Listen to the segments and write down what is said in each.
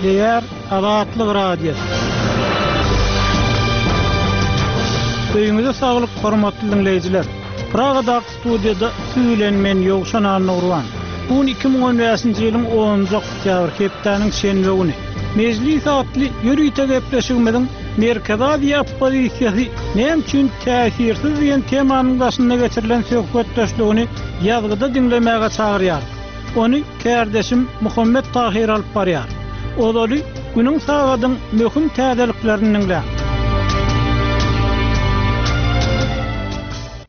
Gepleýär Azatlyk Radiosy. Öýüňize saglyk hormatly diňleýjiler. Pragadaky studiýada siz bilen men Ýowşan Annagurban. Bu gün 2015-nji ýylyň 10-njy oktýabr hepdäniň şenbe güni. Mejlis atly ýörite gepleşigimiziň Merkezi Aziýa oppozisiýasy näme üçin täsirsiz diýen temanyň daşynda geçirilen söhbetdeşligini ýazgyda diňlemäge çagyrýarys. Ony kärdeşim Muhammet Tahyr alyp barýar. Ozaly günüň sagadyň möhüm täzeliklerini diňläň.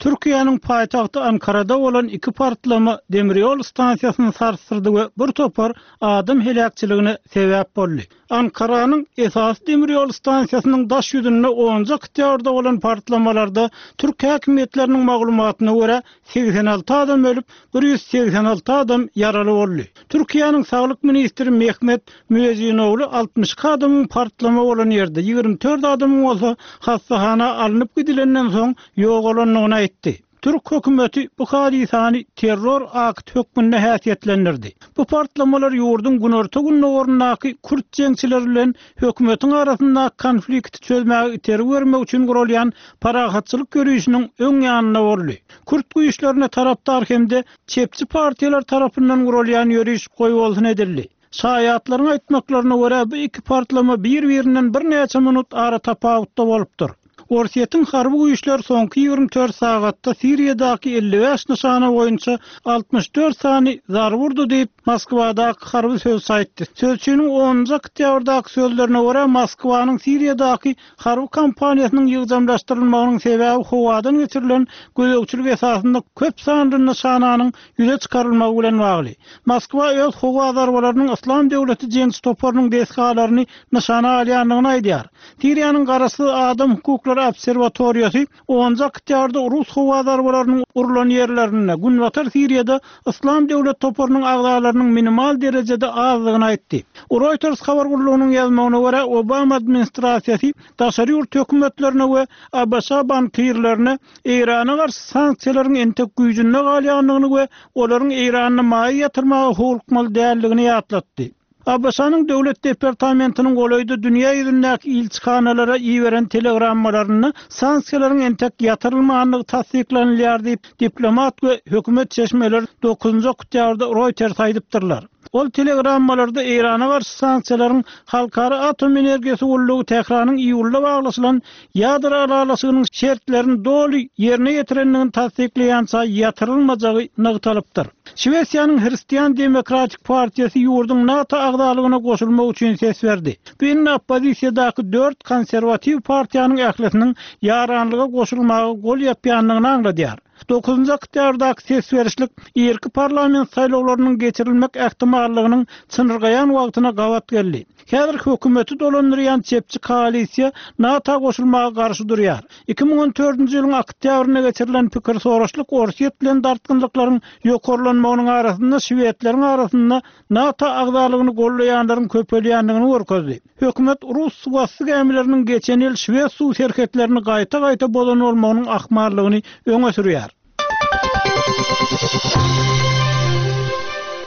Türkiýäniň paýtagty Ankarada bolan iki partlama demirýol stansiýasyny sarsdyrdy we bir topar adam heläkçiligine sebäp boldy. Ankaranyň esasy demirýol stansiýasynyň daş ýüzünde onunjy oktýabrda bolan partlamalarda türk häkimiýetleriniň maglumatyna görä, 86 adam ölüp, 186 adam ýaraly boldy. Türkiýäniň saglyk ministri Mehmet Müezzinoglu 62 adamyň partlama bolan ýerde, 24 adamyň bolsa hassahana alnyp gidilenden soň ýogalandygyny aýtdy. Türk hökümeti bu hadysany terror akty hökmünde häsiýetlendirdi. Bu partlamalar ýurduň günorta-gündogaryndaky kürt jeňçileri bilen hökümetiň arasyndaky konflikti çözmäge itergi bermek üçin guralýan parahatçylyk ýörişiniň öň ýanynda boldy. Kürt güýçlerine tarapdar hem-de çepçi partiýalar tarapyndan guralýan ýöriş goýbolsun edildi. Şaýatlaryň aýtmaklaryna görä, bu iki partlama bir-birinden birnäçe minut aratapawutda bolupdyr. Orsýetiň harby güýçleri soňky 24 sagatda Siriýadaky 55 nyşana boýunça 64 sany zarba urdy diýip, Moskwadaky harby sözçi aýtdy. Sözçiniň onunjy oktýabrdaky sözlerine görä, Moskwanyň Siriýadaky harby kampaniýasynyň ýygjamlaşdyrylmagynyň sebäbi howadan geçirilen gözegçilik esasynda köp sanly nyşananyň ýüze çykarylmagy bilen bagly. Moskwa öz howa zarbalarynyň Yslam döwleti jeňçi toparynyň desgalaryny nyşana alýandygyny aýdýar. Siriýanyň garaşsyz adam hukuklary obserwatoriýasy onunjy oktýabrda rus howa zarbalarynyň urlan ýerlerinde, günbatar Siriýada Yslam döwlet toparynyň agzalarynyň minimal derejede azdygyny aýtdy. Reuters habar gullugynyň ýazmagyna görä, Obama administrasiýasy daşary ýurt hökümetlerine we ABŞ bankirlerine Eýrana garşy sanksiýalaryň entek güýjünde galýandygyny we olaryň Eýranda maýa ýatyrmaga howlukmaly däldigini ýatlatdy. ABŞ-nyň Döwlet departamentiniň golaýda dünýä ýüzündäki ilçihanalara iberen telegrammalarynda sanksiýalaryň entek ýatyrylmandygy tassyklanylýar diýip, diplomat we hökümet çeşmeleri dokuzynjy oktýabrda Reuters aýdypdyrlar. Ol telegrammalarda Eýrana garşy sanksiýalaryň Halkara atom energiýasy gullugy Tähranyň iýulda baglaşylan ýadro ylalaşygynyň şertlerini doly ýerine ýetirendigini tassyklaýança ýatyrylmajagy nygtalypdyr. Şwesiýanyň Hristian demokratik partiýasy ýurduň NATO agzalygyna goşulmagy üçin ses berdi. Bu indi oppozisiýadaky dört konserwatiw partiýanyň ählisiniň ýaranlyga goşulmaga gol ýapýandygyny aňladýar. Dokuzynjy oktýabrdaky ses berişlik irki parlament saýlawlarynyň geçirilmek ähtimallygynyň çynyrgaýan wagtyna gabat geldi. Häzir hökümeti dolandyrýan çepçi koalisiýa NATO goşulmaga garşy durýar. 2014-nji ýylyň oktýabrynda geçirilen pikir soraşlyk Orsýet bilen dartgynlyklaryň ýokarlanmagynyň arasynda şwedleriň arasynda NATO agzalygyny goldaýanlaryň köpelýändigini görkezdi. Hökümet rus suwasty gämileriniň geçen ýyl şwed suw serhetlerini gaýta-gaýta bozan bolmagynyň ahmallygyny öňe sürýär.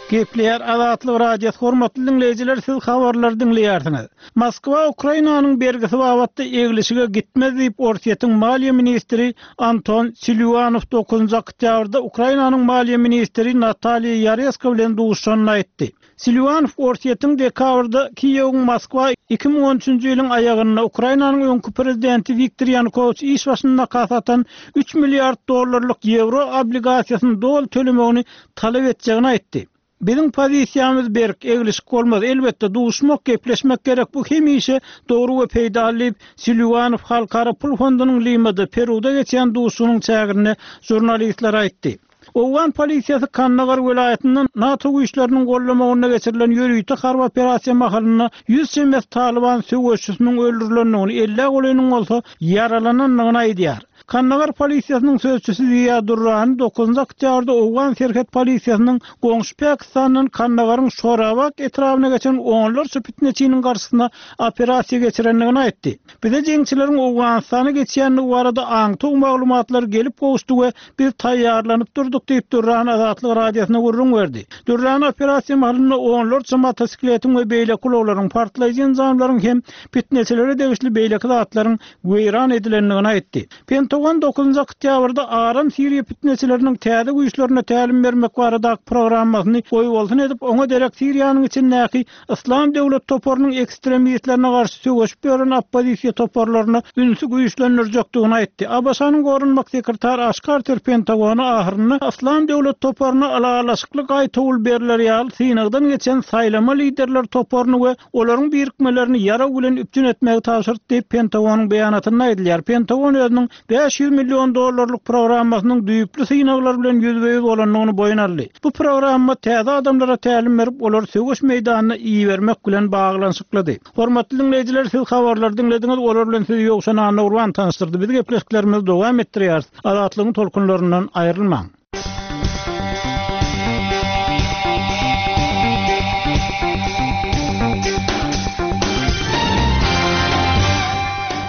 Gepleýär Azatlyk Radiosy hormatly diňleýjiler siz habarlary diňleýärsiňiz. Moskwa Ukrainanyň bergisi babatda eglişige gitmez diýip Orsýetiň maliýe ministri Anton Silýuanow dokuzynjy oktýabrda Ukrainanyň maliýe ministri Nataliýa Ýaresko bilen duşuşanda aýtdy. Silwanow Orsýetiň dekabrda Kiýewiň Moskwa 2013-nji ýylyň aýagynda Ukrainanyň öňki prezidenti Wiktor Ýanukowiç iş başyndaka satan üç milliard dollarlyk ýewro obligasiýasyny doly tölemegini talap etjegini aýtdy. Biziň pozisiýamyz berk, eglişik bolmaz. Elbetde, duşmak, gepleşmek gerek, bu hemişe dogry we peýdaly diýip, Silwanow Halkara pul fondunyň Limada, Peruda geçýän duşuşygynyň çäginde žurnalistlere aýtdy. Owgan polisiýasy Kandagar welaýatynda NATO güýçleriniň gollamagynda geçirilen ýörite harby operasiýa mahalynda 100 çemesi talyban söweşçisiniň öldürilendigini, ellä golaýynyň bolsa ýaralanandygyny aýdýar. Kandagar polisiýasynyň sözçüsi Ziýa Durrani dokuzynjy oktýabrda owgan serhet polisiýasynyň goňşy Pakistandan Kandagaryň Şorabak etrabyna geçen onlarça pitneçiniň garşysyna operasiýa geçirendigini aýtdy. Bize jeňçileriň Owganystana geçýändigi barada aňtaw maglumatlary gelip gowuşdy we biz taýýarlanyp durduk diýip, Dürran Azatlyk Radiosyna gürrüň berdi. Dürran operasiýa mahalynda onlarça motosikletiň we beýleki ulaglaryň, partlaýjy enjamlaryň hem pitneçilere degişli beýleki zatlaryň weýran edilendigini aýtdy. Pentagon dokuzynjy oktýabrda aram siriýa pitneçileriniň täze güýçlerine tälim bermek baradaky programmasyny goýbolsun edip, oňa derek Siriýanyň içindäki Yslam döwlet toparynyň ekstremistlerine garşy söweşip ýören oppozisiýa toparlaryna ünsi güýçlendirjekdigini aýtdy. ABŞ-nyň goranmak sekretary Aş Karter Pentagona ahyrynda Yslam döwlet toparyna ylalaşykly gaýtawul berler ýaly synagdan geçen saýlama liderler toparyny we olaryň birikmelerini ýarag bilen üpjün etmegi tabşyrdy diýip, Pentagonyň beýanatynda aýdylýar. Pentagon özüniň 500 million dollarlyk programmasynyň düýpli synaglar bilen ýüzbe-ýüz bolandygyny boýun aldy. Bu programma täze adamlara tälim berip, olary söweş meýdanyna ibermek bilen baglanyşyklydy. Hormatly diňleýjiler, siz habarlary diňlediňiz, olar bilen sizi Ýowşan Annagurban tanyşdyrdy. Biz gepleşiklerimizi dowam etdirýäris. Azatlygyň tolkunlaryndan aýrylmaň!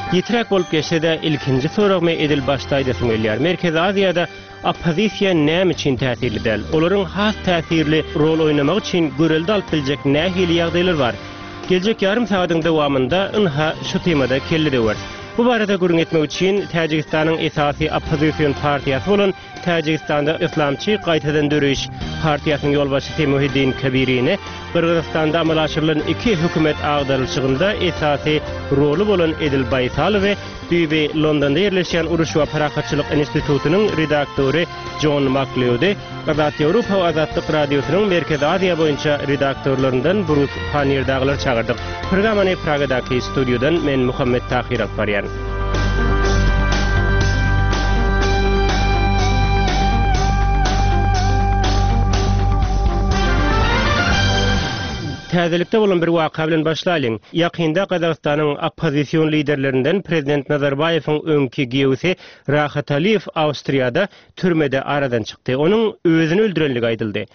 Ýitiräk bolup geçse-de, ilkinji soragymy edil başda aýdasym gelýär. Merkezi Aziýada oppozisiýa näme üçin täsirli däl? Olaryň has täsirli rol oýnamagy üçin görelde alyp biljek nähili ýagdaýlar bar? Geljek ýarym sagadyň dowamynda ynha şu temada kelle döweris. Bu barada gürrüň etmek üçin Täjigistanyň esasy oppozision partiýasy bolan Täjigistanda Yslamçy gaýtadan döreýiş partiýasynyň ýolbaşçysy Muhiddin Kabirini, Gyrgyzystanda amala aşyrylan iki hökümet agdarylyşygynda esasy roly bolan Edil Baýsalowy, düýbi Londonda ýerleşýän Uruş we parahatçylyk institutynyň redaktory Jon Makleudy, Azat Ýewropa we Azatlyk Radiosynyň Merkezi Aziýa boýunça redaktorlaryndan Brus Pannier dagylary çagyrdyk. Programmany Pragadaky studiýadan men Muhammet Tahyr alyp barýan. Täzelikde bolan bir waka bilen başlaýlyň. Ýakynda Gazagystanyň oppozision liderlerinden prezident Nazarbaýewiň öňki giýewisi Rahat Aliýew Awstriýada türmede aradan çykdy. Onuň özüni öldürenligi aýdyldy.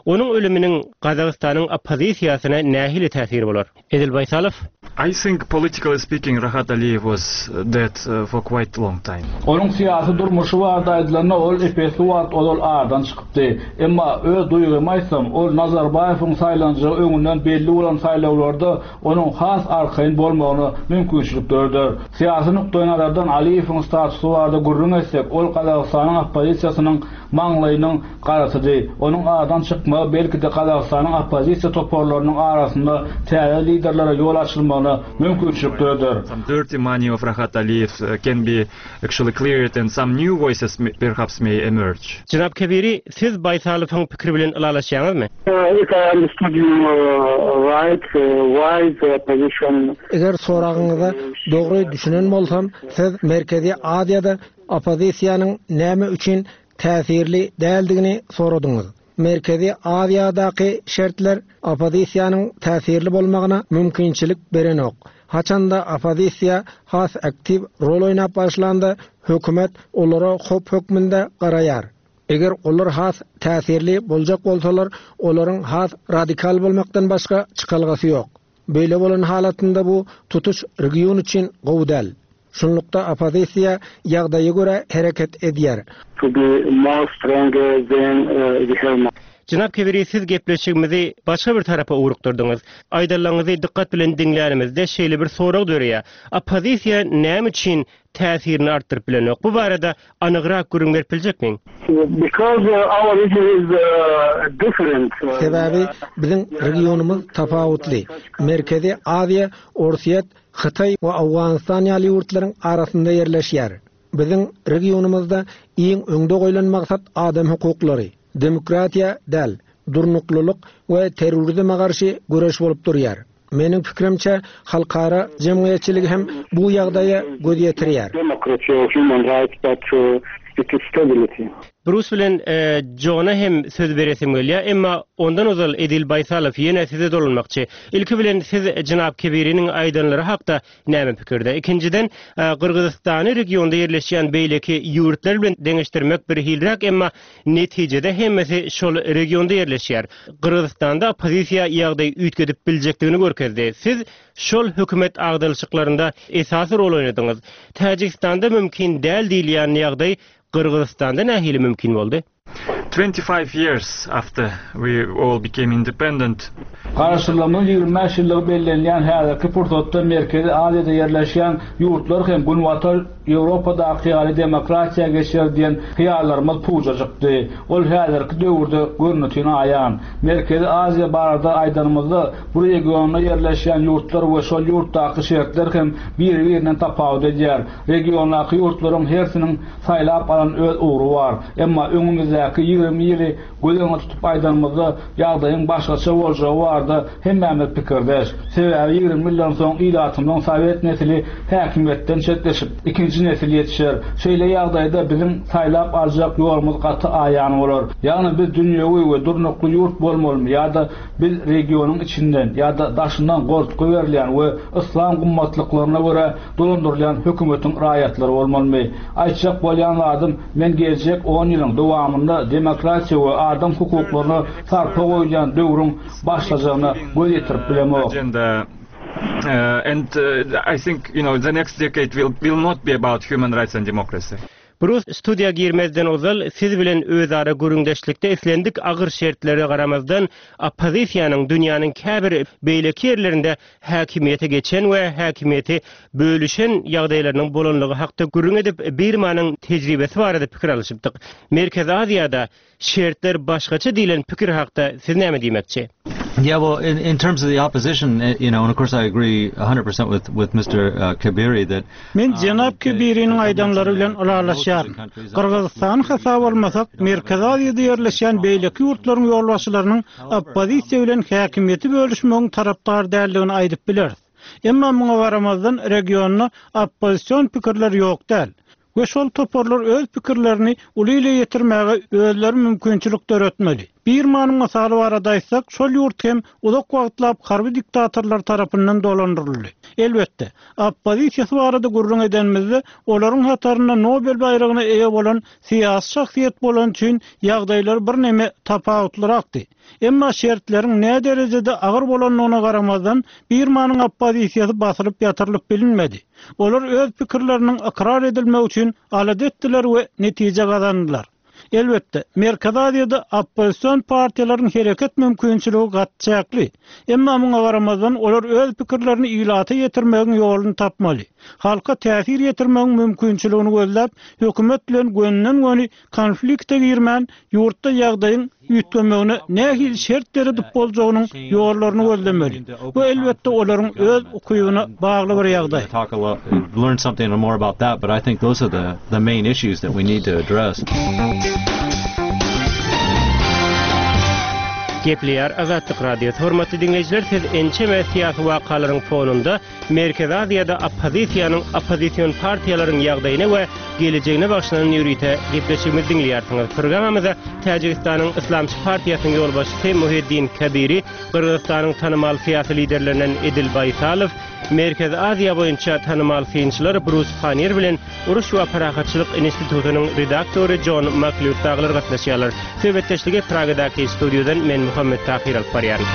Onuň ölüminiň Gazagystanyň oppozisiýasyna nähili täsiri bolar? Edil Baýsalow. I think politically speaking Rahat Aliyev was dead for quite long time. Onuň syýasy durmuşy barada aýdylanda ol ep-esli wagt ozal aradan çykypdy. Emma öz duýgymy aýtsam, ol Nazarbaýewiň saýlanjagy öňünden belli bolan saýlawlarda onuň has arkaýyn bolmagyna mümkinçilik döreder. Syýasy nukdaýnazardan Aliýewiň statusy barada gürrüň etsek, ol Gazagystanyň oppozisiýasynyň maňlaýynyň garasydy. Onuň aradan çykmagy belki-de Gazagystanyň oppozisiýa toparlarynyň arasynda täze liderlere ýol açylmagyna mümkinçilik döreder. Some dirty money of Rahat Aliýew can be actually cleared and some new voices perhaps may emerge. Jenap Kebiri, siz Baýsalowyň pikiri bilen ylalaşýaňyzmy? If I understood you right, why the opposition. Eger soragyňyza dogry düşünen bolsam, siz Merkezi Aziýada oppozisiýanyň näme üçin täsirli däldigini soradyňyz. Merkezi Aziýadaky şertler oppozisiýanyň täsirli bolmagyna mümkinçilik berenok. Haçanda oppozisiýa has aktiw rol oýnap başlanda, hökümet olara howp hökmünde garaýar. Eger olar has täsirli boljak bolsalar, olaryň has radikal bolmakdan başga çykalgasy ýok. Beýle bolan halatynda bu tutuş region üçin gowy däl. Şunlukda oppozisiýa ýagdaýa görä hereket edýär. To be more stronger than the have. Jenap Kebiri siz gepleşigimizi başga bir tarapa ugrukdyrdyňyz. Aýdanlaryňyzy dykgat bilen diňlänimizde şeýle bir sorag döreýär. Oppozisiýa näme üçin täsirini artdyryp bilenok? Bu barada anygrak gürrüň berip biljekmiň? Because our region is different. Sebäbi biziň regionymyz tapawutly. Merkezi Aziýa Orsýet, Hytaý we Owganystan ýaly ýurtlaryň arasynda ýerleşýär. Biziň regionymyzda iň öňde goýlan maksat adam hukuklary, demokratiýa däl, durnuklylyk we terrorizme garşy göreş bolup durýar. Meniň pikirimçe, halkara jemgyýetçiligi hem bu ýagdaýa göz ýetirýär. Brus bilen Jona hem söz beresim gelýär, emma ondan ozal Edil Baýsalow ýene size dolanmakçy. Ilki bilen siz jenap Kebiriniň aýdanlary hakda näme pikirde? Ikinjiden, Gyrgyzystany regionda ýerleşýän beýleki ýurtlar bilen deňeşdirmek birhiliräk, emma netijede hemmesi şol regionda ýerleşýär. Gyrgyzystanda oppozisiýa ýagdaýy üýtgedip biljekdigini görkezdi. Siz şol hökümet agdalyşyklarynda esasy rol oýnadyňyz. Täjigistanda mümkin däl diýilýän ýagdaý Gyrgyzystanda nähili mümkin boldy? 25 years after we all became independent. Garaşsyzlygymyzyň 25 ýyllygy bellenilýän häzirki pursatda Merkezi Aziýada ýerleşýän ýurtlar hem Günbatar Ýewropadaky ýaly demokratiýa geçer diýen hyýallarymyz puja çykdy. Ol häzirki döwürde görnetin aýan. Merkezi Aziýa barada aýdanymyzda, bu regionda ýerleşýän ýurtlar we şol ýurtdaky şertler hem biri-birinden tapawut edýär. Regiondaky ýurtlaryň hersiniň saýlap alan öz ugry bar. Emma öňümizdäki 20 ýyly göz öňünde tutup aýdanymyzda, ýagdaýyň başgaça boljagy barada hemmämiz pikirdeş. Sebäbi 20 ýyldan soň ilatymyzyň sowet nesli häkimiýetden çetleşip, ikinji nesil ýetişer. Şeýle ýagdaýda biziň saýlap aljak ýolumyz gaty aýan bolar. Ýagny biz dünýewi we durnukly ýurt bolmalymy ýa-da biz regionyň içinden ýa-da daşyndan goltgy berilýän we yslam gymmatlyklaryna görä dolandyrylýan hökümetiň raýatlary bolmalymy? Aýtjak bolýan zadym, men geljek on ýylyň dowamynda demokratiýa we adam hukuklaryna sarpa goýulýan döwrüň başlajagyna göz ýetirip bilemok. And I think, you know, the next decade will will not be about human rights and democracy. Brus, studiýa girmezden ozal siz bilen özara gürrüňdeşlikde islendik agyr şertlere garamazdan oppozisiýanyň dünýäniň käbir beýleki ýerlerinde häkimiýete geçen we häkimiýeti bölüşen ýagdaýlarynyň bolanlygy hakda gürrüň edip, Birmanyň tejribesi barada pikir alyşypdyk. Merkezi Aziýada şertler başgaça diýlen pikir hakda siz näme diýmekçi? Yeah, well, in, in terms of the opposition, eh, you know, and of course I agree 100% with, with Mr. Uh, Kebiri that Men jenap Kebiriniň aýdanlary bilen ylalaşýaryn. Gyrgyzystany hasaba almasak, Merkezi Aziýada ýerleşýän beýleki ýurtlaryň ýolbaşçylarynyň oppozisiýa bilen häkimiýeti bölüşmegiň tarapdary däldigini aýdyp bileris. Emma muňa garamazdan regionda oppozision pikirler ýok däl. We şol toparlar öz pikirlerini uly ile ýetirmäge özleri mümkinçilik döretmeli. Birmanyň mysaly barada aýtsak, şol ýurt hem uzak wagtlap harby diktatorlar tarapyndan dolandyryldy. Elbetde, oppozisiýasy barada gürrüň edenimizde, olaryň hatarynda Nobel baýragyna eýe bolan syýasy şahsyýet bolany üçin ýagdaýlar birneme tapawutlyrakdy. Emma şertleriň näderejede agyr bolandygyna garamazdan, Birmanyň oppozisiýasy basylyp ýatyrylyp bilinmedi. Olar öz pikirleriniň ykrar edilmegi üçin alada etdiler we netije gazandylar. Elbetde, Merkezi Aziýada oppozision partiýalaryň hereket mümkinçiligi gaty çäkli. Emma muňa garamazdan, olar öz pikirlerini ilata ýetirmegiň ýoluny tapmaly. Halka täsir ýetirmegiň mümkinçiligini gözläp, hökümet bilen gönüden-göni konflikte girmän, ýurtda ýagdaýyň üýtgemegine nähili şert döredip boljagynyň ýollaryny gözlemeli. Bu, elbetde, olaryň öz ukybyna bagly bir ýagdaý. Gepleýär Azatlyk Radiosy. Hormatly diňleýjiler, siz ençeme syýasy wakalaryň fonunda Merkezi Aziýada oppozisiýanyň, oppozision partiýalaryň ýagdaýyna we gelejegine bagyşlanan ýörite gepleşigimizi diňleýärsiňiz. Programmamyza Täjigistanyň Yslamçy partiýasynyň ýolbaşçysy Muhiddin Kabiri, Gyrgyzystanyň tanymal syýasy liderlerinden Edil Baýsalow, Merkezi Aziýa boýunça tanymal synçylar Brus Pannier bilen Uruş we parahatçylyk institutynyň redaktory Jon Maklýud dagylar gatnaşýarlar. Söhbetdeşligi Pragadaky studiýadan men Muhammet Tahyr alyp barýaryn.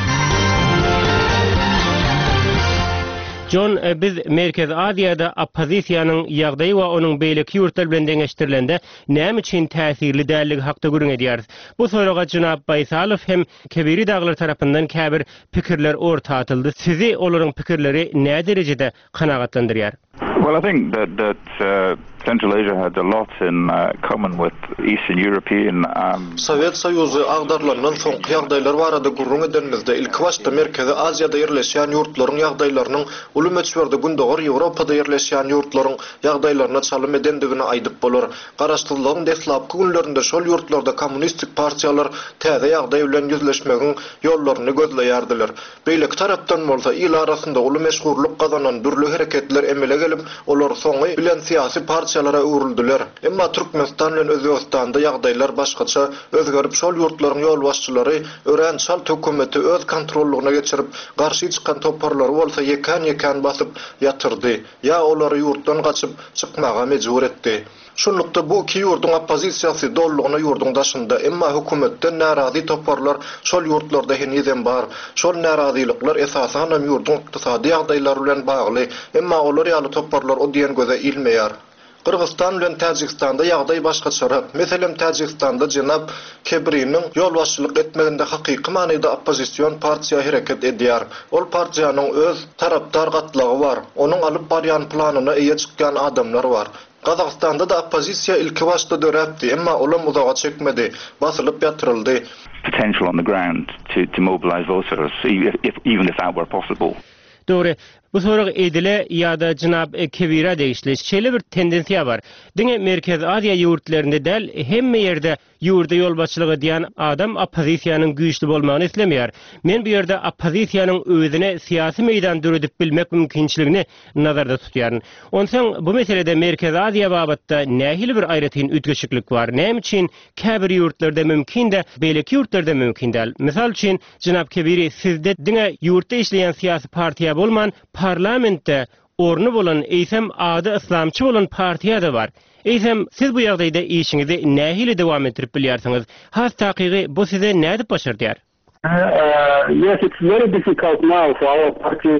Jon, biz Merkezi Aziýada oppozisiýanyň ýagdaýy we onuň beýleki ýurtlar bilen deňeşdirilende näme üçin täsirli däldigi hakda gürrüň edýäris. Bu soraga jenap Baýsalow hem Kebiri dagylar tarapyndan käbir pikirler orta atyldy. Sizi olaryň pikirleri näderejede kanagatlandyrýar? Well, I think that that uh, Central Asia had a lot in uh, common with Eastern European um, Sowet Soýuzy agdarylandan soňky ýagdaýlar barada gürrüň edenimizde, ilkibaşda Merkezi Aziýada ýerleşýän ýurtlaryň ýagdaýlarynyň uly möçberde Gündogar Ýewropada ýerleşýän ýurtlaryň ýagdaýlaryna çalym edendigini aýdyp bolar. Garaşsyzlygyň deslapky günlerinde şol ýurtlarda kommunistik partiýalar täze ýagdaý bilen ýüzleşmegiň ýollaryny gözleýärdiler. Beýleki tarapdan bolsa, il arasynda uly meşhurlyk gazanan dürli hereketler emele gelip, olar soňy bilen syýasy partiýalar. partiýalara öwrüldiler. Emma Türkmenistan bilen Özbegistanda ýagdaýlar başgaça özgerip şol ýurtlaryň ýolbaşçylary örän çalt hökümeti öz kontrollygyna geçirip garşy çykan toparlary bolsa ýekän-ýekän basyp ýatyrdy ýa olary ýurtdan gaçyp çykmaga mejbur etdi. Şunlukda bu iki ýurduň oppozisiýasy dolulygyna ýurduň daşynda, emma hökümetden närazy toparlar şol ýurtlarda henizem bar. Şol närazylyklar esasanam ýurduň ykdysady ýagdaýlary bilen bagly, emma olar ýaly toparlar o diýen göze ilmeýär. Gyrgyzystan bilen Täjigistanda ýagdaý başgaçarak. Meselem Täjigistanda jenap Kebriniň ýolbaşçylyk etmeginde hakyky manyda oppozision partiýa hereket edýär. Ol partiýanyň öz tarapdar gatlagy bar, onuň alyp barýan planyna eýe çykýan adamlar bar. Gazagystanda-da oppozisiýa ilkibaşda döräpdi, emma olam uzaga çekmedi, basylyp ýatyryldy. potential on the ground to to mobilize voters even if that were possible. Dogry, bu sorag Edile ýa-da jenap Kebirä degişli. Şeýle bir tendensiýa bar. Diňe Merkezi Aziýa ýurtlarynda däl, hemme ýerde Ýurda ýolbaşçylyk edýän adam oppozisiýanyň güýçli bolmagyny islemeýär. Men bu ýerde oppozisiýanyň özüne syýasy meýdan döredip bilmek mümkinçiligini nazarda tutýaryn. Onsoň bu meselede Merkezi Aziýa babatda nähili bir aýratyn üýtgeşiklik bar? Näme üçin käbir ýurtlarda mümkin-de, beýleki ýurtlarda mümkin däl? Mysal üçin, jenap Kebiri, sizde diňe ýurtda işleýän syýasy partiýa bolman, parlamentde orny bolan, eýsem ady yslamçy bolan partiýa-da bar. Eýsem, siz bu ýagdaýda işiňizi nähili dowam etdirip bilýärsiňiz? Has takygy, bu size nädip başardýar? Yes, it's very difficult now for our party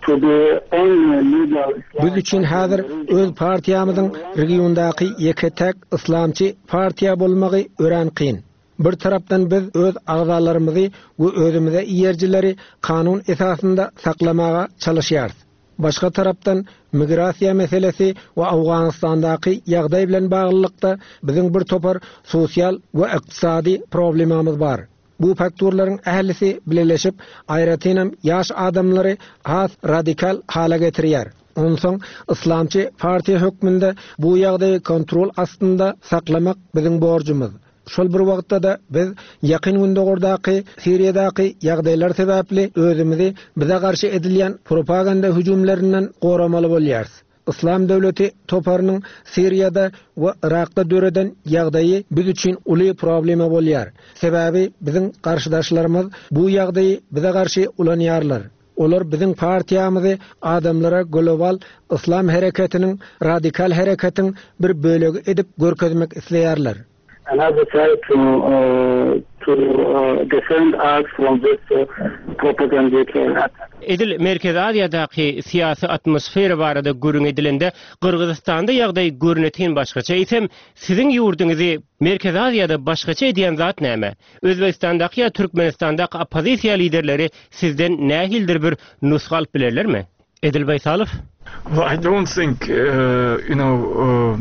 to be only legal Biz üçin häzir öz partiýamyzyň regiondaky ýeke-täk yslamçy partiýa bolmagy örän kyn. Bir tarapdan biz öz agzalarymyzy we özümize eýerijileri kanun esasynda saklamaga çalyşýarys. Başga tarapdan migrasiýa meselesi we Owganystandaky ýagdaý bilen baglylykda biziň bir topar sosial we ykdysady problemamyz bar. Bu faktorlaryň ählisi bileleşip, aýratynam ýaş adamlary has radikal hala getirýär. Onsoň yslamçy partiýa hökmünde bu ýagdaýy kontrol astynda saklamak biziň borjumyz. Şol bir wagtda-da biz Ýakyn Gündogardaky, Siriýadaky ýagdaýlar sebäpli özümizi bize garşy edilýän propaganda hüjümlerinden goramaly bolýarys. Yslam döwleti toparynyň Siriýada we Yrakda döreden ýagdaýy biz üçin uly problema bolýar. Sebäbi biziň garşydaşlarymyz bu ýagdaýy bize garşy ulanýarlar. Olar biziň partiýamyzy adamlara global yslam hereketiniň, radikal hereketiň bir bölegi edip görkezmek isleýärler. Another try to to defend us from this propagandic attack. Edil Merkezi Aziýadaky syýasy atmosfera barada gürrüň edilende, Gyrgyzystanda ýagdaý görnetin başgaça. Eýsem, siziň ýurduňyzy Merkezi Aziýada başgaça edýän zat näme? Özbegistandaky ýa Türkmenistandaky oppozisiýa liderleri sizden nähilidir bir nusga alyp bilerlermi? Edil Baýsalow. Well, I don't think, you know,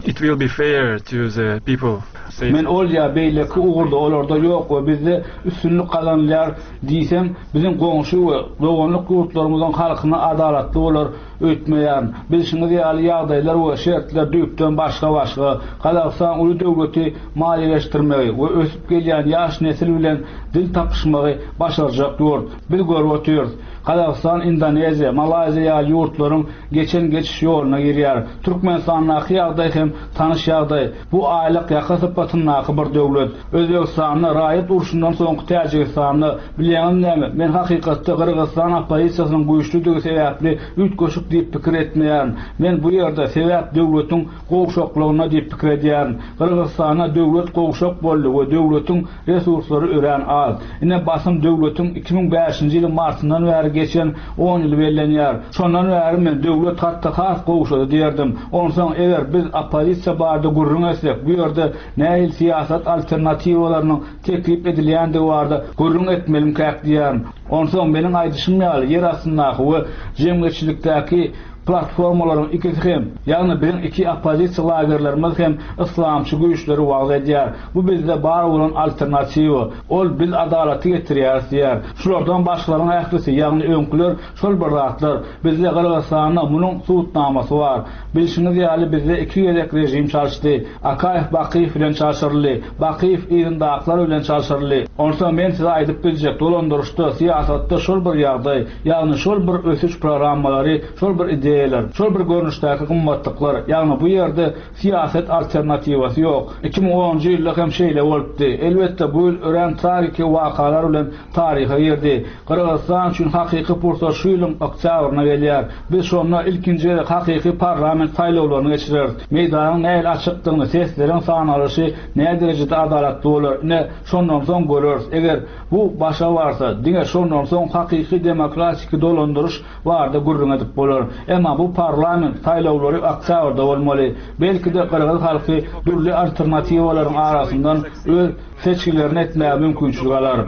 it will be fair to the people. Men ol ýa beýleki ugurda olarda ýok we bizde üstünlik gazanylýar diýsem, biziň goňşy we doganlyk ýurtlarymyzyň halkyna adalatly bolar öýtmeýärin. Bilşiňiz ýaly, ýagdaýlar we şertler düýpden başga-başga. Gazagystan uly döwleti maliýeleşdirmegi we ösüp gelýän ýaş nesil bilen dil tapyşmagy başarjak ýurt. Biz görüp otyrys. Gazagystan Indoneziýa, Malaýziýa ýaly ýurtlaryň geçen geçiş ýoluna girýär. Türkmenistandaky ýagdaý hem tanyş ýagdaý. Bu aýlyk ýaka sypatyndaky bir döwlet. Özbegistanda, raýat urşundan soňky Täjigistanda, bilýäňizmi näme, men hakykatda Gyrgyzystan oppozisiýasynyň güýçlüdigi sebäpli üýtgeşik diýip pikir etmeýärin. Men bu ýerde sebäp döwletiň gowşaklygynda diýip pikir edýärin. Gyrgyzystanda döwlet gowşak boldy we döwletiň resurslary örän az. Ine basym döwletiň 2005-nji ýylyň martyndan bäri geçen on ýyly bellenýär. Şondan bäri men döwlet hatda has gowşady diýerdim. Onsoň eger biz oppozisiýa barada gürrüň etsek, bu ýerde nähili syýasat alternatiwalarynyň teklip edilýändigi barada gürrüň etmelimkäk diýýärin. Onsoň meniň aýdyşym ýaly ýer astyndaky we jemgyýetçilikdäki platformalaryň ikisi hem, ýagny biziň iki oppozisiýa lagerlerimiz hem yslamçy güýçleri wagyz edýär. Bu bizde bar bolan alternatiwa. Ol biz adalaty getirýäris diýýär. Şulardan başgalaryň ählisi, ýagny öňküler şol bir zatlar. Bizde Gyrgyzystanda munuň subutnamasy bar. Bilşiňiz ýaly bizde iki gezek režim çalyşdy. Akaýew Bakyýew bilen çalşyryldy. Bakyýew yzyndakylar bilen çalşyryldy. Onsoň men size aýdyp biljek, dolandyryşda, syýasatda şol bir ýagdaý, ýagny şol bir ösüş programmalary, şol bir ideýalar. ideýalar, şol bir görnüşdäki gymmatlyklar, ýagny bu ýerde syýasat alternatiwasy ýok. 2010-njy ýylda hem şeýle bolupdy. Elbetde, bu ýyl örän tragiki wakalar bilen taryha girdi. Gyrgyzystan üçin hakyky pursat şu ýylyň oktýabrynda gelýär. Biz şonda ilkinji gezek hakyky parlament saýlawlaryny geçireris. Meýdanyň nähili açykdygyny, sesleriň sanalyşy näderejede adalatly bolar, ine, şondan soň göreris. Eger bu başa barsa, diňe şondan soň hakyky demokratiki dolandyryş barada gürrüň edip bolar. Emma bu parlament saýlawlary oktýabrda bolmaly. Belki-de, gyrgyz halky dürli alternatiwalaryň arasyndan öz seçgilerini etmäge mümkinçilik alar.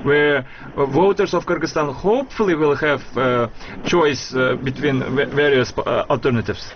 Where voters of Kyrgyzstan hopefully will have choice between various alternatives.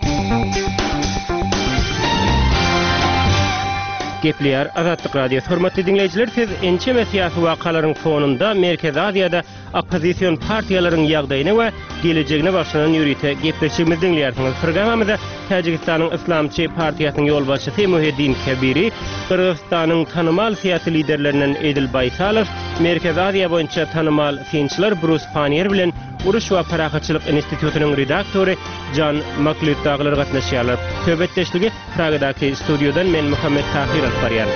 Gepleýär Azatlyk Radiosy. Hormatly diňleýjiler, siz ençeme syýasy wakalaryň fonunda Merkezi Aziýada oppozision partiýalaryň ýagdaýyna we gelejegine bagyşlanan ýörite gepleşigimizi diňleýärsiňiz. Programmamyza Täjigistanyň Yslamçy partiýasynyň ýolbaşçysy Muhiddin Kebiri, Gyrgyzystanyň tanymal syýasy liderlerinden Edil Baýsalow, Merkezi Aziýa boýunça tanymal synçylar Brus Pannier bilen Uruş we parahatçylyk institutynyň redaktory Jan Maklýud dagylar gatnaşýarlar. Söhbetdeşligi Pragadaky studiýadan men Muhammet Tahyr alyp barýan.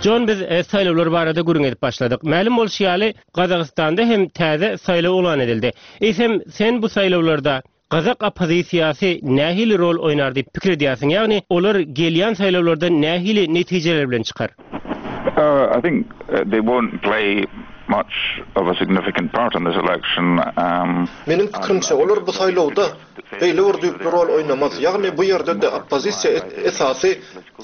Jon biz e, saýlawlar barada gürrüň edip başladyk. Mälim bolşy ýaly, Gazagystanda hem täze saýlaw yglan edildi. Eýsem, sen bu saýlawlarda gazak oppozisiýasy nähili rol oýnar diýip pikir edýärsiň? Ýagny, olar gelýän saýlawlardan nähili netijeler bilen çykar? Uh, I think uh, they won't play much of a significant part in this election. Um, Meniň pikirimçe, olar bu saýlawda beýle bir düýpli rol oýnamaz. Ýagny bu ýerde-de oppozisiýa esasy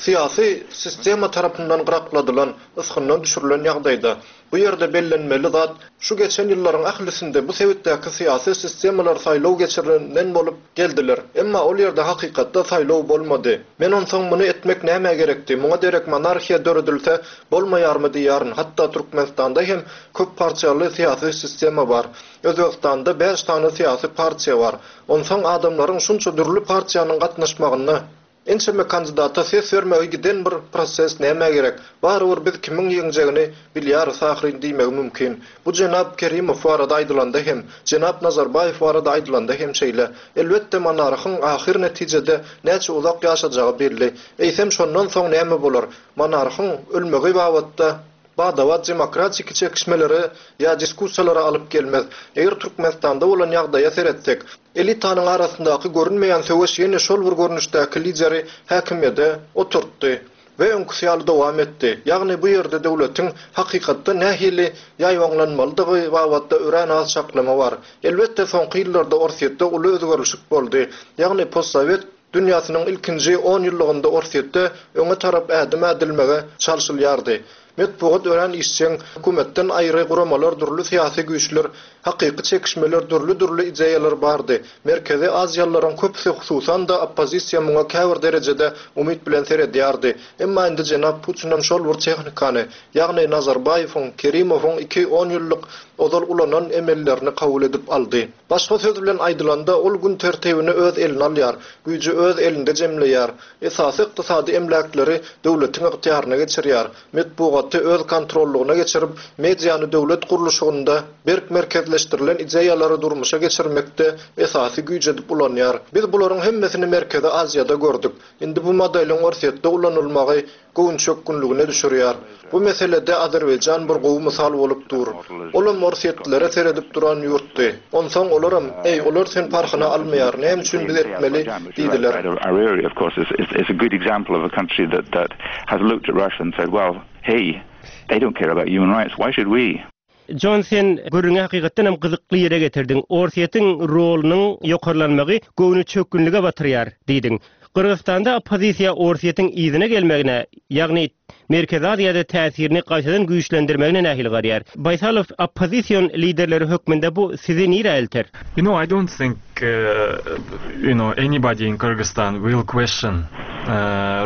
syýasy sistema tarapyndan gyrakladylan, ysgyndan düşürilen ýagdaýda. Bu ýerde bellenmeli zat, şu geçen ýyllaryň ählisinde bu sebitdäki syýasy sistemalar saýlaw geçirenden bolup geldiler. Emma ol ýerde hakykatda saýlaw bolmady. Men onsoň muny etmek nämä gerekdi, muňa derek monarhiýa döredilse bolmaýarmy diýýärin, hatda Türkmenistanda hem köp partiýaly syýasy sistema bar. Özbegistanda bäş sany syýasy partiýa bar. Onsoň adamlaryň şunça dürli partiýanyň gatnaşmagynda Ençeme kandidata ses bermegi giden bir proses nämä gerek? Barybir biz kimiň ýeňjegini bilýäris ahyryn diýmegi mümkin. Bu jenap Kerimow barada aýdylanda hem, jenap Nazarbaýew barada aýdylanda hem şeýle. Elbetde monarhyň ahyr netijede näçe uzak ýaşajagy belli. Eýsem şondan soň näme bolar? Monarhyň ölmegi babatda bada-bat demokratiki çekişmelere ýa diskussiýalara alyp gelmez. Eger Türkmenistanda bolan ýagdaýa seretsek, elitanyň arasyndaky görünmeýän söweş ýene şol bir görnüşdäki lideri häkimiýede oturtdy we öňküsi ýaly dowam etdi. Ýagny bu ýerde döwletiň hakykatda nähili ýaýbaňlanmalydygy babatda örän az çaklama bar. Elbetde soňky ýyllarda Orsýetde uly özgerlişik boldy. Ýagny postsowet Dünýäsiniň ilkinji onýyllygynda Orsýetde öňe tarap ädim ädilmege çalşylýardy. Metbugat örän işjeň, hökümetden aýry guramalar, dürli syýasy güýçler, hakyky çekişmeler, dürli-dürli ideýalar bardy. Merkezi aziýalylaryň köpüsi, hususan-da, oppozisiýa muňa käbir derejede umyt bilen seredýärdi. Emma indi jenap Putinem şol bir tehnikany, ýagny Nazarbaýewiň, Kerimowyň iki onýyllyk ozal ulanan emellerini kabul edip aldy. Başga söz bilen aýdylanda, ol gün tertibini öz eline alýar, güýji öz elinde jemleýär, esasy ykdysady emläkleri döwletiň ygtyýaryna geçirýär, metbugaty öz kontrollygyna geçirip, mediany döwlet gurluşygynda berk merkezleşdirilen ideýalary durmuşa geçirmekde esasy güýç edip ulanýar. Biz bularyň hemmesini Merkezi Aziýada gördük. Indi bu modeliň Orsýetde ulanylmagy göwünçökgünligine düşürýär. Bu meselede Azerbaýjan bir gowy mysal bolup dur. Olam orsýetlilere seredip duran ýurtdy. Onsoň olaram, Eý, olar sen parhyna almaýar, näme üçin biz etmeli? diýdiler. Jon sen gürrüňi hakykatdan hem gyzykly ýere getirdiň. Orsýetiň rolunyň ýokarlanmagy göwnüçökgünlige batyrýar diýdiň. Gyrgyzystanda oppozisiýa Orsýetiň yzyna gelmegine, ýagny Merkezi Aziýada täsirini gaýtadan güýçlendirmegine nähili garýar? Baýsalow oppozision liderleri hökmünde bu sizi nirä elter? You know, I don't think you know anybody in Kyrgyzstan will question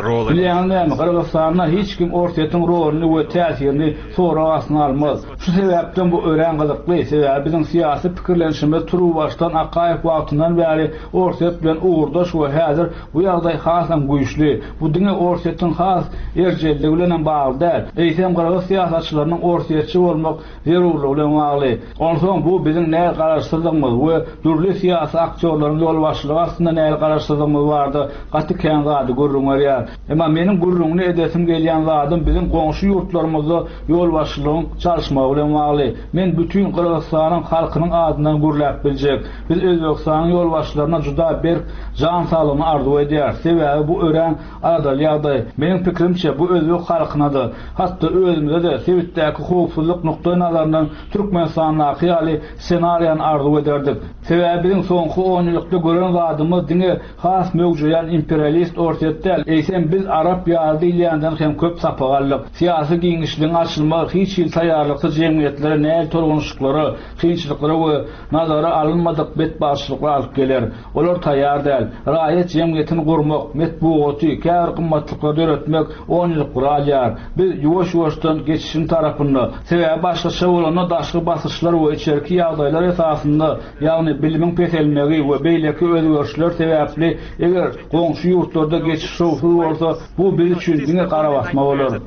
role and. Bilýäňiz näme, Gyrgyzystanda hiç kim Orsýetiň roluny we täsirini sorag astyna almaz. Şu sebäpden bu örän gyzykly, sebäbi biziň syýasy pikirlenişimiz turuwbaşdan Akaýew wagtyndan bäri Orsýet bilen ugurdaş we häzir bu ýagdaý. ýagdaý hasam güýçli. Bu diňe Orsýetiň has erjelligi bilenem bagly däl, eýsem gyrgyz syýasatçylarynyň orsýetçi bolmak zerurlygy bilen bagly. Onsoň bu biziň näl garaşsyzlygymyz we dürli syýasy aktýorlaryň ýolbaşçylygy astynda näl garaşsyzlygymyz barada gaty kän zady gürrüň berýär. Emma meniň gürrüňini edesim gelýän zadym biziň goňşy ýurtlarymyzda ýolbaşçylygyň çalyşmagy bilen bagly. Men bütin Gyrgyzystanyň halkynyň adyndan gürläp biljek. Biz Özbegistanyň ýolbaşçylaryna juda berk jan saglygyny arzuw edýäris. Sebäbi bu örän aladaly ýagdaý. Meniň pikirimçe, bu özbek halkyna-da, hatda özümize-de sebitdäki howpsuzlyk nukdaýnazaryndan Türkmenistandaky ýaly ssenariýany arzuw ederdik. Sebäbi biziň soňky onýyllykda gören zadymyz diňe has möwjeýän imperialist Orsýet däl, eýsem biz Arap ýaly diýilýänden hem köp sapak aldyk. Syýasy giňişligiň açylmagy hiç hili taýýarlyksyz jemgyýetlere nähili tolgunyşyklara, kynçylyklara we nazara alynmadyk betbagtçylyklar alyp geler. Olar taýýar däl. Raýat jemgyýetini gurmak, metbugaty, käbir gymmatlyklary döretmek onýyllyklary alýar. Biz ýuwaş-ýuwaşdan geçişiň tarapynda. Sebäbi başgaça bolanda daşky basyşlar we içerki ýagdaýlar esasynda, ýagny bilimiň peselmegi we beýleki özgerişler sebäpli eger goňşy ýurtlarda geçiş şowsuz bolsa, bu biz üçin diňe garabasma bolar.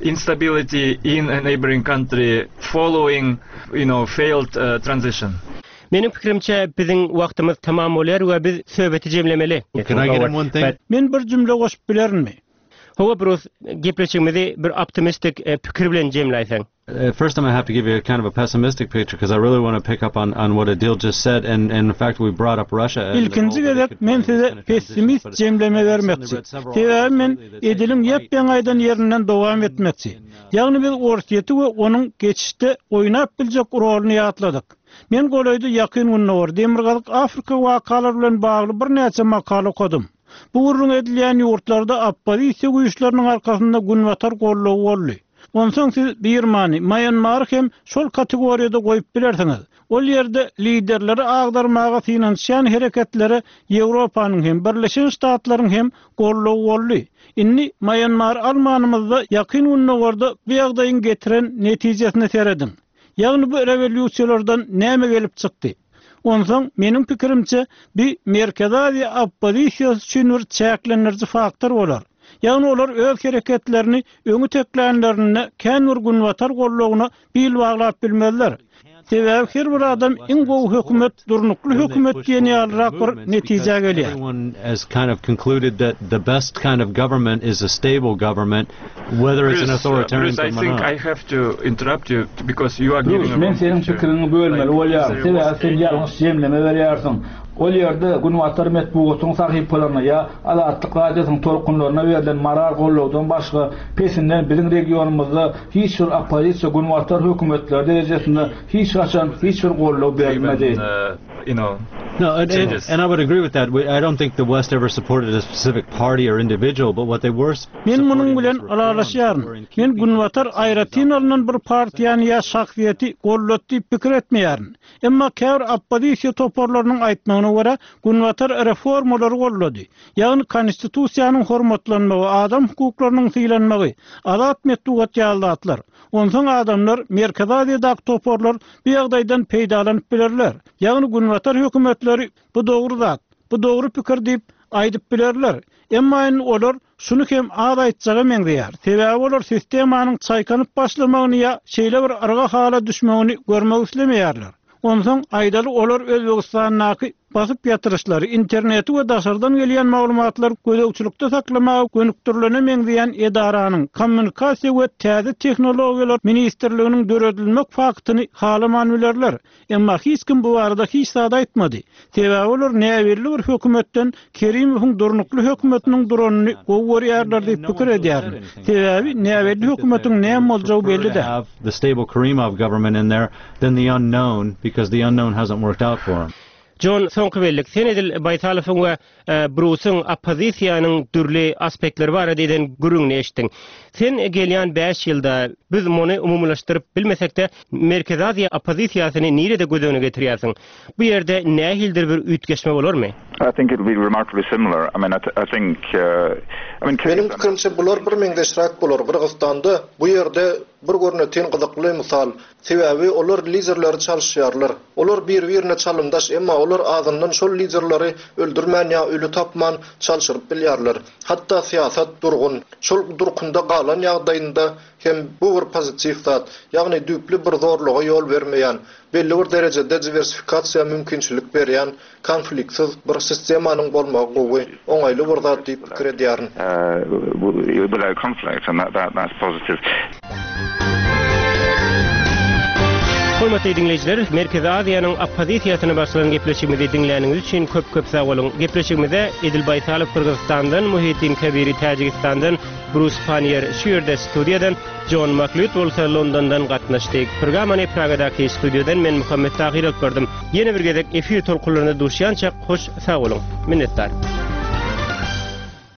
Instability in a neighboring country following, you know, failed transition. Meniň pikirimçe, biziň wagtymyz tamam bolýar we biz söhbeti jemlemeli. Can I get in one thing? Men bir jümle goşup bilerinmi? Hawa, Brus, gepleşigimizi bir optimistik pikir bilen jemläýseň. First I'm gonna have to give you a kind of a pessimistic picture because I really want to pick up on on what Adil just said and and in fact we brought up Russia and Ilkinji gezek men size pessimist jemleme bermekçi. Sebäbi men Ediliň ýap-ýaňy aýdan ýerinden dowam etmekçi. Ýagny biz Orsýeti we onuň geçişde oýnap biljek roluny ýatladyk. Men golaýda Ýakyn Gündogar, Demirgazyk Afrika wakalary bilen bagly birnäçe makala okadym. Bu gürrüň edilýän ýurtlarda oppozisiýa güýçleriniň arkasynda Günbatar goldawy boldy. Onsoň siz Birmany, Maýanmary hem şol kategoriýada goýup bilersiňiz. Ol ýerde liderleri agdarmaga synanyşýan hereketlere Ýewropanyň hem, Birleşen Ştatlaryň hem goldawy boldy. Indi Maýanmary almanymyzda Ýakyn Gündogarda bu ýagdaýyň getiren netijesine serediň. Ýagny bu rewolýusiýalardan näme gelip çykdy? Onsoň, meniň pikirimçe, bi Merkezi Aziýa oppozisiýasy üçin bir çäklendiriji faktor bolar. Ýagny olar öz hereketlerini öňi teklänlerinde kän bir Günbatar goldawyna bil baglap bilmezler. Sebäbi her bir adam iň gowy hökümet durnukly hökümet diýen ýalyrak bir netijä gelýär. Brus, men seniň pikiriňi bölmeli bolýaryn, sebäbi sen ýalňyş jemleme berýärsiň. Ol ýerde Günbatar metbugatynyň sahypalaryna ýa Azatlyk Radiosynyň tolkunlaryna berlen moral gollawdan başga pesinden biziň regionymyzda hiç bir oppozisiýa Günbatar hökümetleri derejesinde hiç haçan hiç bir goldaw berilmedi. You know, No, and, and, and I would agree with that. I don't think the West ever supported a specific party or individual, but what they were Men munuň bilen ylalaşýaryn. Men Günbatar aýratyn alnan bir partiýany ýa şahsyýeti goldady diýip pikir etmeýärin. Emma käbir oppozisiýa toparlarynyň aýtmagyna görä, Günbatar reformalary goldady. Ýagny konstitusiýanyň hormatlanmagy, adam hukuklarynyň sylanmagy, azat metbugat ýaly zatlar. Onsoň adamlar, Merkezi Aziýadaky toparlar bu ýagdaýdan peýdalanyp bilerler. Ýagny Günbatar hökümetleri bu dogry zat, bu dogry pikir diýip aýdyp bilerler. Emma indi olar şuny hem az aýtjaga meňzeýär. Sebäbi olar sistemanyň çaýkanyp başlamagyny ýa şeýle bir yrga hala düşmegini görmek islemeýärler. Onsoň, aýdaly, olar Özbegistandaky basyp ýatyryşlary, interneti we daşardan gelýän maglumatlary gözegçilikde saklamaga gönükdirilene meňzeýän edaranyň, Kommunikasiýa we täze tehnologiýalar ministrliginiň döredilmek faktyny halaman bilerler. Emma hiç kim bu barada hiç zat aýtmady. Sebäbi olar näbelli bir hökümetden Kerimowyň durnukly hökümetiniň duranyny gowy görýärler diýip pikir edýärin. Sebäbi näbelli hökümetiň näme boljagy belli däl. Than the unknown because the unknown hasn't worked out for him. Jon, soňky bellik, sen edil Baýtalowyň we Brusyň oppozisiýanyň dürli aspektleri barada eden gürrüňini eşitdiň. Sen gelýän bäş ýylda, biz muny umumylaşdyryp bilmesek-de, Merkezi Aziýa oppozisiýasyny nirede göz öňüne getirýärsiň? Bu ýerde nähilidir bir üýtgeşme bolarmy? I think it will be remarkably similar. I mean, I think, I mean, Meniň pikirimçe, bular birmeňzeşräk bolar. Gyrgyzystanda bu ýerde. bir görnetin gyzykly mysal. Sebäbi olar liderleri çalyşýarlar. Olar bir-birine çalymdaş, emma olar azyndan şol liderleri öldürmän ýa öli tapman çalşyryp bilýärler. Hatda syýasat durgun, şol durkunda galan ýagdaýynda hem bu bir pozitiw zat, ýagny düýpli bir zorluga ýol bermeýän, belli bir derejede diwersifikasiýa mümkinçilik berýän konfliktsiz bir sistemanyň bolmagy gowy, oňaýly bir zat diýip pikir edýärin. Hormatly diňleýjiler, Merkezi Aziýanyň oppozisiýasyna bagyşlanan gepleşigimizi diňläniňiz üçin köp-köp sag boluň. Gepleşigimize Edil Baýsalow Gyrgyzystandan, Muhiddin Kabiri Täjigistandan, Brus Panniýer şu ýerde studiýadan, Jon Maklýud bolsa Londondan gatnaşdy. Programmany Pragadaky studiýadan men Muhammet Tahyr alyp bardym. Ýene bir gezek efir tolkunlarynda duşýançak hoş sag boluň. Minnetdar.